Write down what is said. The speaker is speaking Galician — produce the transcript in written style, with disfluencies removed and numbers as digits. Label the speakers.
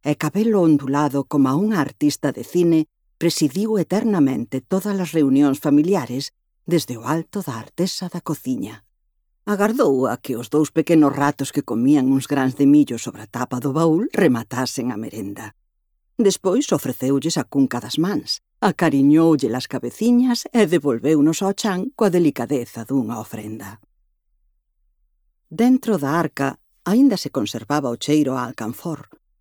Speaker 1: e cabelo ondulado como unha artista de cine, presidiu eternamente todas as reunións familiares desde o alto da artesa da cociña. Agardou a que os 2 pequenos ratos que comían uns grans de millo sobre a tapa do baúl rematasen a merenda. Despois ofreceulles a cunca das mans, acariñoulle as cabeciñas e devolveunos ao chan coa delicadeza dunha ofrenda. Dentro da arca aínda se conservaba o cheiro a alcanfor,